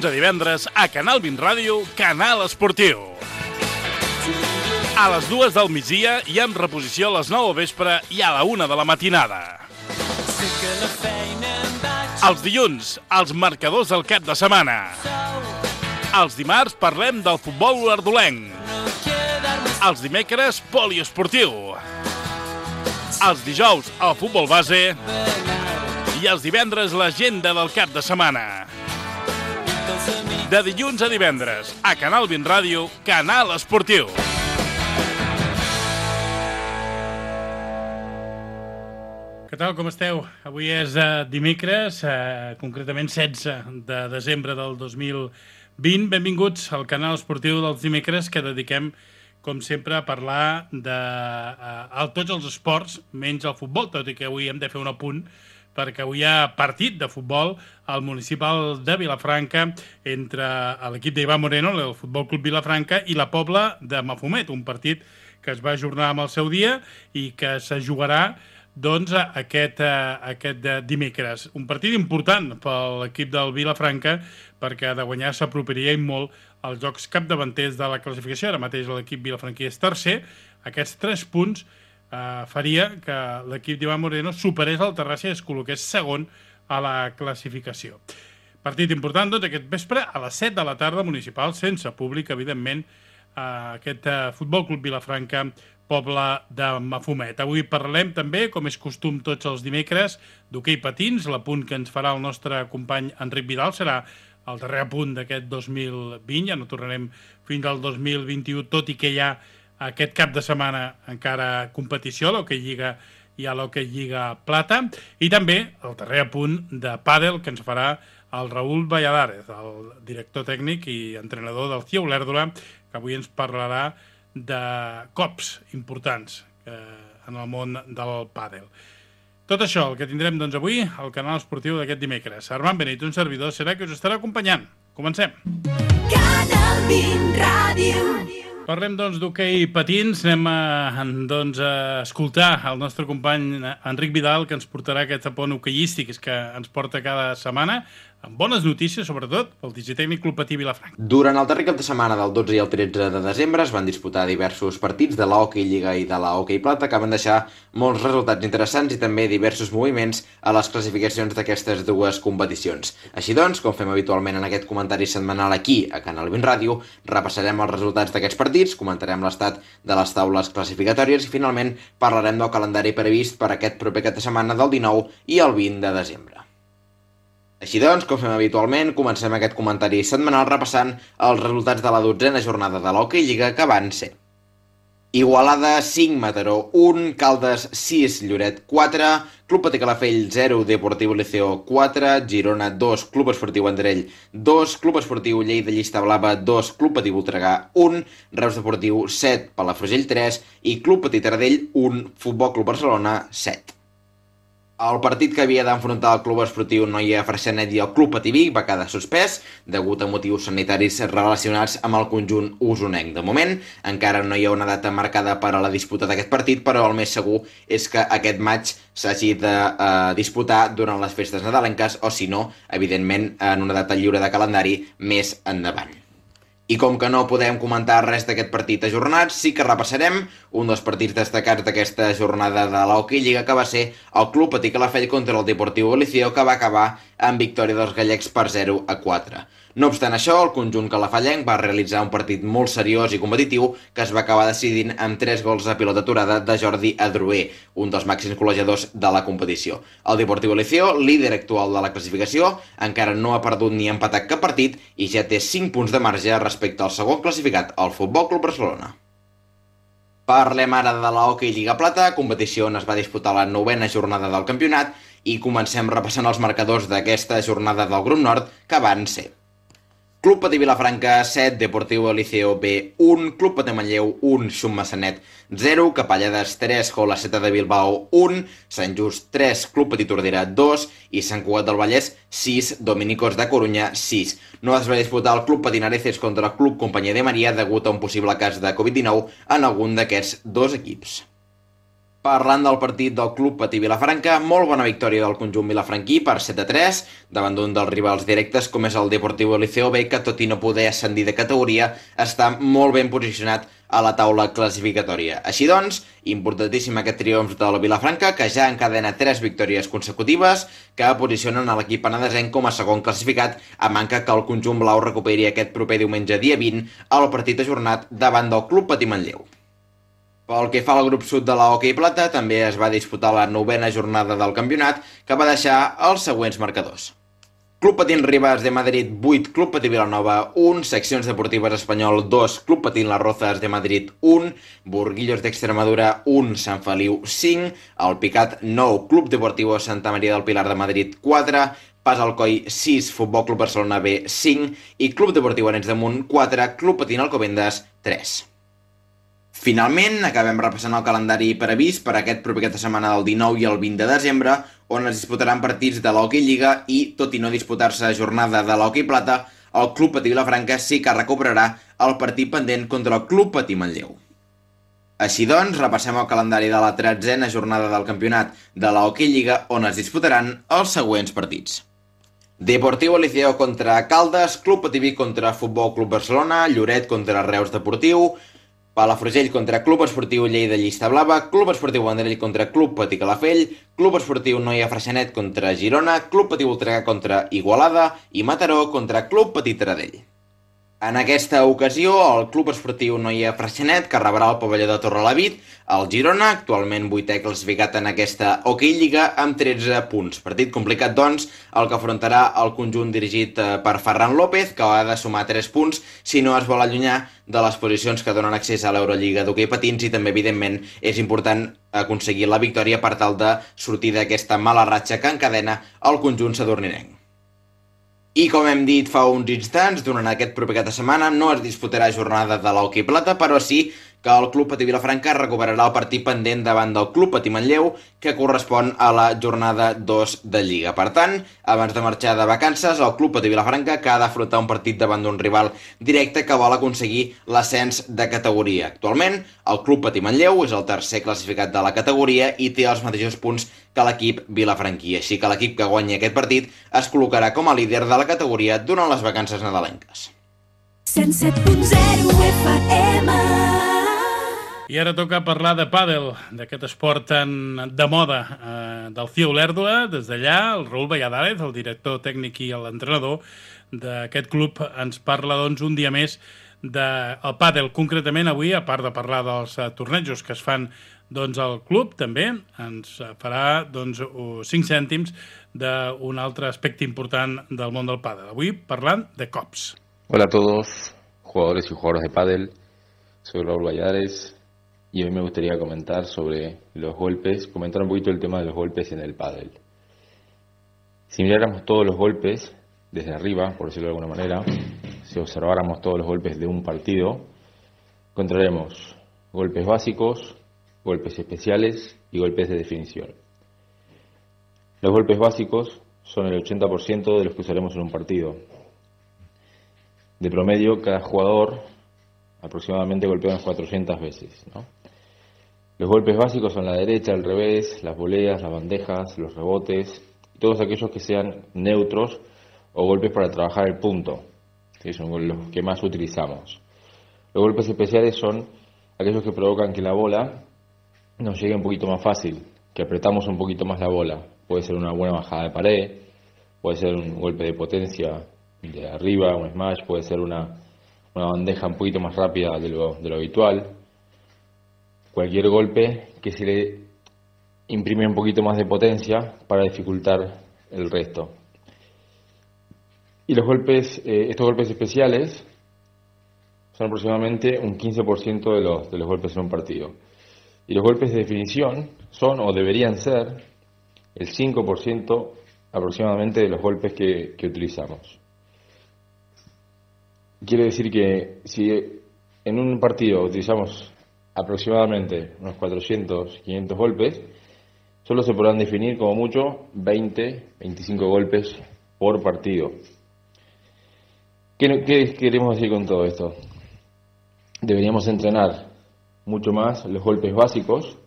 dilluns a divendres a Canal 20 Ràdio, Canal Esportiu. A les 2 del migdia i amb reposició a les 9 del vespre i a la 1 de la matinada. Els dilluns, els marcadors del cap de setmana. Els dimarts parlem del futbol olordolenc. Els dimecres, poliesportiu. Els dijous, el futbol base. I els divendres, l'agenda del cap de setmana. De dilluns a divendres, a Canal 20 Ràdio, Canal Esportiu. Què tal, com esteu? Avui és dimecres, concretament 16 de desembre del 2020. Benvinguts al Canal Esportiu dels dimecres, que dediquem, com sempre, a parlar de tots els esports, menys el futbol, tot i que avui hem de fer un apunt, perquè avui hi ha partit de futbol al municipal de Vilafranca entre l'equip d'Ivan Moreno, el Futbol Club Vilafranca, i la Pobla de Mafumet, un partit que es va ajornar amb el seu dia i que se jugarà doncs, aquest dimecres. Un partit important per l'equip del Vilafranca, perquè de guanyar s'apropiaria molt als jocs capdavanters de la classificació. Ara mateix l'equip vilafranquí és tercer. Aquests 3 punts faria que l'equip d'Ivan Moreno superés el Terrassa i es col·loqués segon a la classificació. Partit important, doncs, aquest vespre a les 7 de la tarda municipal, sense públic, evidentment, aquest Futbol Club Vilafranca, Pobla de Mafumet. Avui parlem també, com és costum tots els dimecres, d'hoquei patins. L'apunt que ens farà el nostre company Enric Vidal serà el darrer apunt d'aquest 2020. Ja no tornarem fins al 2021, tot i que hi ha aquest cap de setmana encara competició a l'Hoquei Lliga i a l'Hoquei Lliga Plata, i també el darrer apunt de pàdel que ens farà el Raúl Valladares, el director tècnic i entrenador del CIE Olèrdola, que avui ens parlarà de cops importants en el món del pàdel. Tot això, el que tindrem doncs, avui al Canal Esportiu d'aquest dimecres. Armand Benit, un servidor, serà que us estarà acompanyant. Comencem. Canal 20 Ràdio. Parlem, doncs, d'hoquei patins. Anem a escoltar el nostre company Enric Vidal, que ens portarà aquest apont hoqueístic que ens porta cada setmana, amb bones notícies, sobretot, pel Digitècnic Club Patí Vilafranca. Durant el darrer cap de setmana del 12 i el 13 de desembre es van disputar diversos partits de l'Hoquei Lliga i de l'Hoquei Plata que van deixar molts resultats interessants i també diversos moviments a les classificacions d'aquestes dues competicions. Així doncs, com fem habitualment en aquest comentari setmanal aquí a Canal 20 Ràdio, repassarem els resultats d'aquests partits, comentarem l'estat de les taules classificatòries i finalment parlarem del calendari previst per aquest proper cap de setmana del 19 i el 20 de desembre. Així doncs, com fem habitualment, comencem aquest comentari setmanal repassant els resultats de la 12a jornada de l'Hoquei Lliga que van ser: Igualada 5, Mataró 1, Caldes 6, Lloret 4, Club Patí Calafell 0, Deportiu Liceo 4, Girona 2, Club Esportiu Vendrell 2, Club Esportiu Lleida Llista Blava 2, Club Patí Voltregà 1, Reus Deportiu 7, Palafrugell 3 i Club Patí Taradell 1, Futbol Club Barcelona 7. El partit que havia d'enfrontar el Club Esportiu Noia Freixenet i el Club Patí Vic va quedar suspès degut a motius sanitaris relacionats amb el conjunt usonenc. De moment, encara no hi ha una data marcada per a la disputa d'aquest partit, però el més segur és que aquest matx s'hagi de disputar durant les festes nadalenques o, si no, evidentment, en una data lliure de calendari més endavant. I com que no podem comentar res d'aquest partit ajornat, sí que repassarem un dels partits destacats d'aquesta jornada de l'Hoquei Lliga, que va ser el Club Patí Calafell contra el Deportiu Liceo, que va acabar amb victòria dels gallecs per 0-4. No obstant això, el conjunt calafellenc va realitzar un partit molt seriós i competitiu que es va acabar decidint amb 3 gols a pilota aturada de Jordi Adroer, un dels màxims golejadors de la competició. El Deportiu Liceo, líder actual de la classificació, encara no ha perdut ni empatat cap partit i ja té 5 punts de marge respecte al segon classificat, el Futbol Club Barcelona. Parlem ara de l'Hoquei Lliga Plata, competició on es va disputar la 9a jornada del campionat, i comencem repassant els marcadors d'aquesta jornada del grup nord, que van ser: Club Patí Vilafranca 7, Deportiu Liceo B 1, Club Patí Manlleu 1, Xum Massanet 0, Capellades 3, Jola Seta de Bilbao 1, Sant Just 3, Club Patí Tordera 2 i Sant Cugat del Vallès 6, Dominicos de Corunya 6. No es va disputar el Club Patí Nareces contra el Club Companyia de Maria degut a un possible cas de Covid-19 en algun d'aquests dos equips. Parlant del partit del Club Patí Vilafranca, molt bona victòria del conjunt vilafranquí per 7-3 davant d'un dels rivals directes com és el Deportivo Liceo B, que tot i no poder ascendir de categoria està molt ben posicionat a la taula classificatòria. Així doncs, importantíssim aquest triomf del Vilafranca, que ja encadena 3 victòries consecutives que posicionen a l'equip penedesenc com a segon classificat, a manca que el conjunt blau recuperi aquest proper diumenge dia 20 al partit ajornat davant del Club Patí Manlleu. Pel que fa al grup sud de la Hockey Plata, també es va disputar la 9ª jornada del campionat, que va deixar els següents marcadors. Club Patín Rivas de Madrid 8, Club Patí Vilanova 1, Seccions Deportives Espanyol 2, Club Patín Las Rozas de Madrid 1, Burguillos d'Extremadura 1, Sant Feliu 5, El Picat 9, Club Deportivo Santa Maria del Pilar de Madrid 4, Pas Alcoi 6, Futbol Club Barcelona B 5 i Club Deportiu Arenys de Munt 4, Club Patín Alcobendas 3. Finalment, acabem repassant el calendari previst per aquest proper cap de setmana del 19 i el 20 de desembre, on es disputaran partits de l'Hockey Lliga i, tot i no disputar-se jornada de l'Hockey Plata, el Club Patí Vilafranca sí que recuperarà el partit pendent contra el Club Patí Manlleu. Així doncs, repassem el calendari de la 13a jornada del campionat de l'Hockey Lliga, on es disputaran els següents partits. Deportivo Liceo contra Caldes, Club Patí Vic contra Futbol Club Barcelona, Lloret contra Reus Deportiu, Palafrugell contra Club Esportiu Lleida Llista Blava, Club Esportiu Vendrell contra Club Patí Calafell, Club Esportiu Noia Freixenet contra Girona, Club Patí Voltregà contra Igualada i Mataró contra Club Patí Taradell. En aquesta ocasió, el Club Esportiu Noia Freixenet, que rebrà el pavelló de Torrelavit, el Girona, actualment 8è classificat en aquesta Hockey Lliga, amb 13 punts. Partit complicat, doncs, el que afrontarà el conjunt dirigit per Ferran López, que ha de sumar 3 punts si no es vol allunyar de les posicions que donen accés a l'Eurolliga d'hoquei patins, i també, evidentment, és important aconseguir la victòria per tal de sortir d'aquesta mala ratxa que encadena el conjunt sadurninenc. I com hem dit fa uns instants, durant aquest proper cap de setmana no es disputarà jornada de l'Hockey Plata, però sí que el Club Patí Vilafranca recuperarà el partit pendent davant del Club Patí Manlleu, que correspon a la jornada 2 de Lliga. Per tant, abans de marxar de vacances, el Club Patí Vilafranca que ha d'afrontar un partit davant d'un rival directe que vol aconseguir l'ascens de categoria. Actualment, el Club Patí Manlleu és el tercer classificat de la categoria i té els mateixos punts que l'equip vilafranquí, així que l'equip que guanyi aquest partit es col·locarà com a líder de la categoria durant les vacances nadalenques. 107.0 FM. I ara toca parlar de pàdel, d'aquest esport de moda del CIO Olèrdola. Des d'allà, el Raül Valladares, el director tècnic i l'entrenador d'aquest club, ens parla doncs, un dia més del pàdel. Concretament avui, a part de parlar dels tornejos que es fan doncs, al club, també ens farà doncs, 5 cèntims d'un altre aspecte important del món del pàdel. Avui parlant de cops. Hola a todos, jugadores y jugadoras de pádel. Soy Raúl Valladares. Y hoy me gustaría comentar sobre los golpes, comentar un poquito el tema de los golpes en el pádel. Si miráramos todos los golpes desde arriba, por decirlo de alguna manera, si observáramos todos los golpes de un partido, encontraremos golpes básicos, golpes especiales y golpes de definición. Los golpes básicos son el 80% de los que usaremos en un partido. De promedio, cada jugador aproximadamente golpea unas 400 veces, ¿no? Los golpes básicos son la derecha, el revés, las voleas, las bandejas, los rebotes, todos aquellos que sean neutros o golpes para trabajar el punto, que son los que más utilizamos. Los golpes especiales son aquellos que provocan que la bola nos llegue un poquito más fácil, que apretamos un poquito más la bola. Puede ser una buena bajada de pared, puede ser un golpe de potencia de arriba, un smash, puede ser una bandeja un poquito más rápida de lo habitual. Cualquier golpe que se le imprime un poquito más de potencia para dificultar el resto. Y los golpes, estos golpes especiales son aproximadamente un 15% de los golpes en un partido. Y los golpes de definición son o deberían ser el 5% aproximadamente de los golpes que utilizamos. Quiere decir que si en un partido utilizamos aproximadamente unos 400, 500 golpes, solo se podrán definir como mucho 20, 25 golpes por partido. ¿Qué queremos decir con todo esto? Deberíamos entrenar mucho más los golpes básicos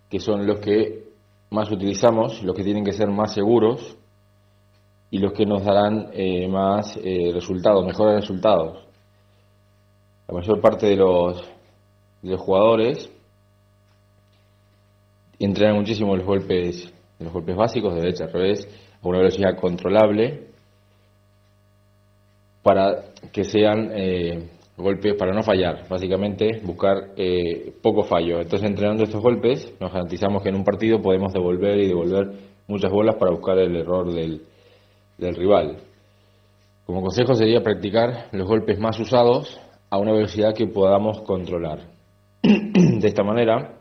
que son los que más utilizamos, los que tienen que ser más seguros y los que nos darán más resultados, mejores resultados. La mayor parte de los jugadores entrenan muchísimo los golpes básicos, de derecha a revés, a una velocidad controlable, para que sean golpes para no fallar, básicamente buscar poco fallo. Entonces, entrenando estos golpes, nos garantizamos que en un partido podemos devolver muchas bolas para buscar el error del rival. Como consejo sería practicar los golpes más usados a una velocidad que podamos controlar. De esta manera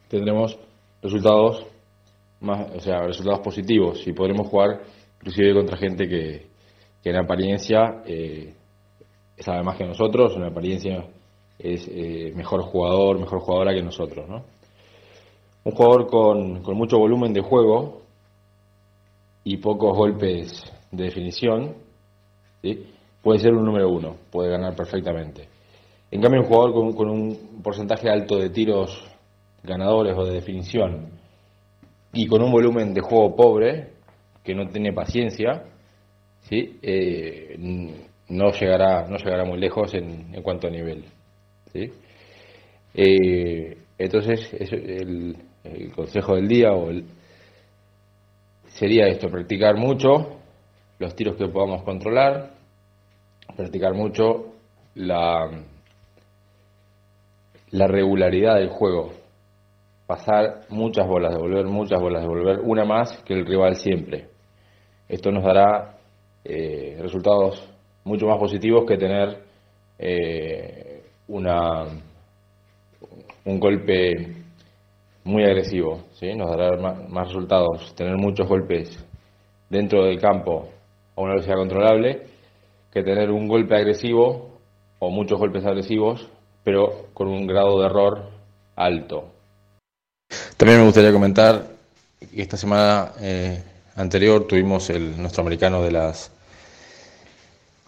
tendremos resultados positivos y podremos jugar inclusive contra gente que en apariencia sabe más que nosotros, en apariencia es mejor jugadora que nosotros, ¿no? Un jugador con mucho volumen de juego y pocos golpes de definición, ¿sí?, puede ser un número 1, puede ganar perfectamente. En cambio, un jugador con un porcentaje alto de tiros ganadores o de definición y con un volumen de juego pobre, que no tiene paciencia, ¿sí?, no llegará muy lejos en cuanto a nivel, ¿sí? Entonces, el consejo del día sería esto: practicar mucho los tiros que podamos controlar, practicar mucho la regularidad del juego, pasar muchas bolas, devolver una más que el rival siempre. Esto nos dará resultados mucho más positivos que tener un golpe muy agresivo, ¿sí? Nos dará más resultados tener muchos golpes dentro del campo a una velocidad controlable que tener un golpe agresivo o muchos golpes agresivos pero con un grado de error alto. También me gustaría comentar que esta semana anterior tuvimos nuestro americano de las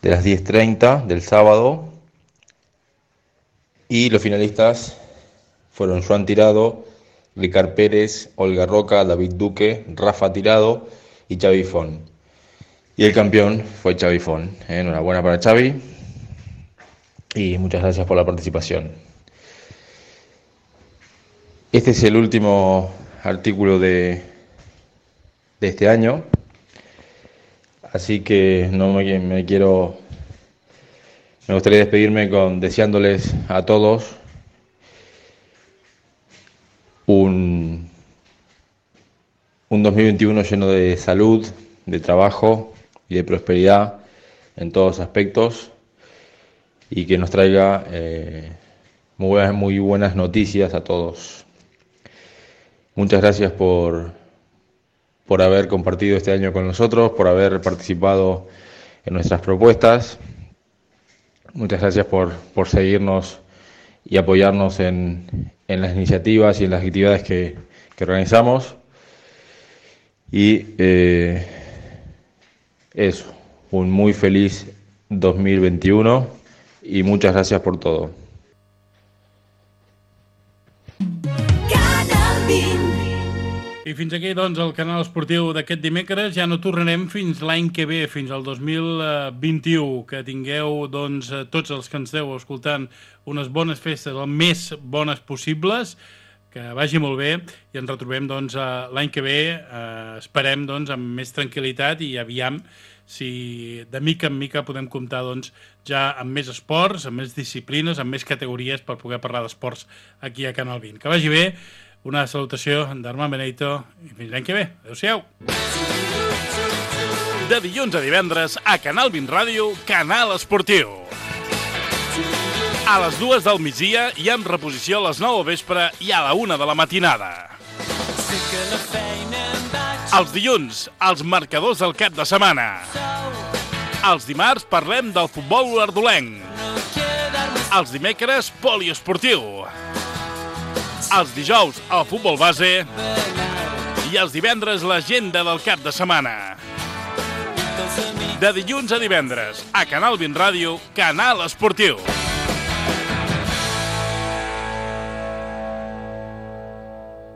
10:30 del sábado, y los finalistas fueron Joan Tirado, Ricard Pérez, Olga Roca, David Duque, Rafa Tirado y Xavi Font. Y el campeón fue Xavi Font. Enhorabuena para Xavi y muchas gracias por la participación. Este es el último artículo de este año, así que me gustaría despedirme deseándoles a todos un 2021 lleno de salud, de trabajo y de prosperidad en todos aspectos, y que nos traiga muy buenas noticias a todos. Muchas gracias por haber compartido este año con nosotros, por haber participado en nuestras propuestas. Muchas gracias por seguirnos y apoyarnos en las iniciativas y en las actividades que organizamos. Y eso, un muy feliz 2021 y muchas gracias por todo. I fins aquí, doncs, el canal esportiu d'aquest dimecres. Ja no tornarem fins l'any que ve, fins al 2021. Que tingueu, doncs, tots els que ens esteu escoltant, unes bones festes, el més bones possibles, que vagi molt bé, i ens retrobem, doncs, l'any que ve, esperem, doncs, amb més tranquil·litat, i aviam si de mica en mica podem comptar, doncs, ja amb més esports, amb més disciplines, amb més categories per poder parlar d'esports aquí a Canal 20. Que vagi bé. Una salutació d'Armand Benito i fins l'any que ve. Adéu-siau. De dilluns a divendres a Canal 20 Ràdio, Canal Esportiu. A les 2 del migdia i amb reposició a les 9 del vespre i a la 1 de la matinada. Els dilluns, els marcadors del cap de setmana. Els dimarts parlem del futbol ardolenc. Els dimecres, poliesportiu. Els dijous, el futbol base. I els divendres, l'agenda del cap de setmana. De dilluns a divendres, a Canal 20 Ràdio, Canal Esportiu.